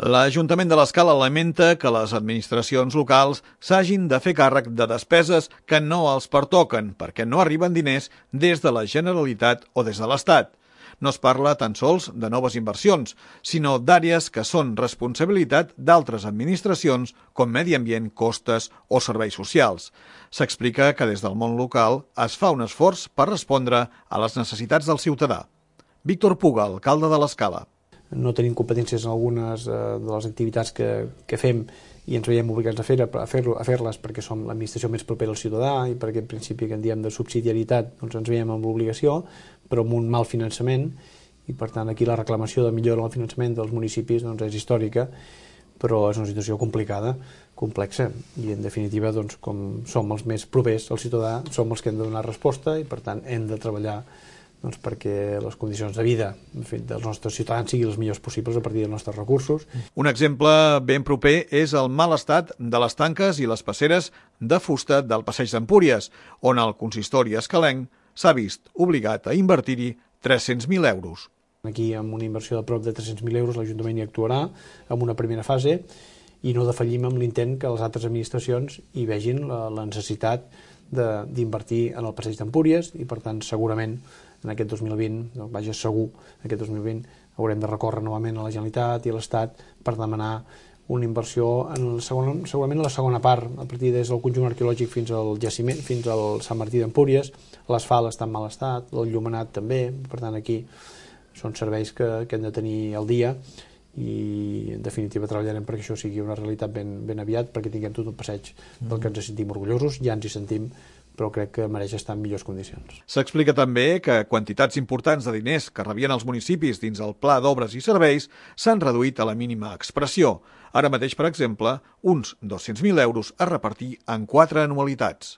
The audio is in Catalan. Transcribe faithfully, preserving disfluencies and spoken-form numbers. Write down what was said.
L'Ajuntament de l'Escala lamenta que les administracions locals s'hagin de fer càrrec de despeses que no els pertoquen perquè no arriben diners des de la Generalitat o des de l'Estat. No es parla tan sols de noves inversions, sinó d'àrees que són responsabilitat d'altres administracions com medi ambient, costes o serveis socials. S'explica que des del món local es fa un esforç per respondre a les necessitats del ciutadà. Víctor Puga, alcalde de l'Escala. No tenim competències en algunes eh, de les activitats que, que fem i ens veiem obligats a fer-les a fer a fer-les perquè som l'administració més propera al ciutadà i per aquest principi que en diem de subsidiarietat doncs ens veiem amb l'obligació, però amb un mal finançament i per tant aquí la reclamació de millora del finançament dels municipis doncs, és històrica, però és una situació complicada, complexa i en definitiva doncs, com som els més propers al ciutadà som els que hem de donar resposta i per tant hem de treballar doncs perquè les condicions de vida en fi, dels nostres ciutadans siguin les millors possibles a partir dels nostres recursos. Un exemple ben proper és el mal estat de les tanques i les passeres de fusta del Passeig d'Empúries, on el consistori escalenc s'ha vist obligat a invertir-hi tres-cents mil euros. Aquí, amb una inversió de prop de tres-cents mil euros, l'Ajuntament hi actuarà en una primera fase i no defallim amb l'intent que les altres administracions hi vegin la, la necessitat d'invertir en el Passeig d'Empúries i, per tant, segurament en aquest dos mil vint, no, vaja segur, aquest dos mil vint haurem de recórrer novament a la Generalitat i a l'Estat per demanar una inversió en el segon, segurament en la segona part, a partir des del conjunt arqueològic fins al jaciment, fins al Sant Martí d'Empúries. L'asfalt està en mal estat, l'enllumenat també, per tant aquí són serveis que, que hem de tenir al dia i en definitiva treballarem perquè això sigui una realitat ben, ben aviat, perquè tinguem tot un passeig del que ens sentim orgullosos, ja ens hi sentim, però crec que mereix estar en millors condicions. S'explica també que quantitats importants de diners que rebien els municipis dins el Pla d'Obres i Serveis s'han reduït a la mínima expressió. Ara mateix, per exemple, uns dos-cents mil euros a repartir en quatre anualitats.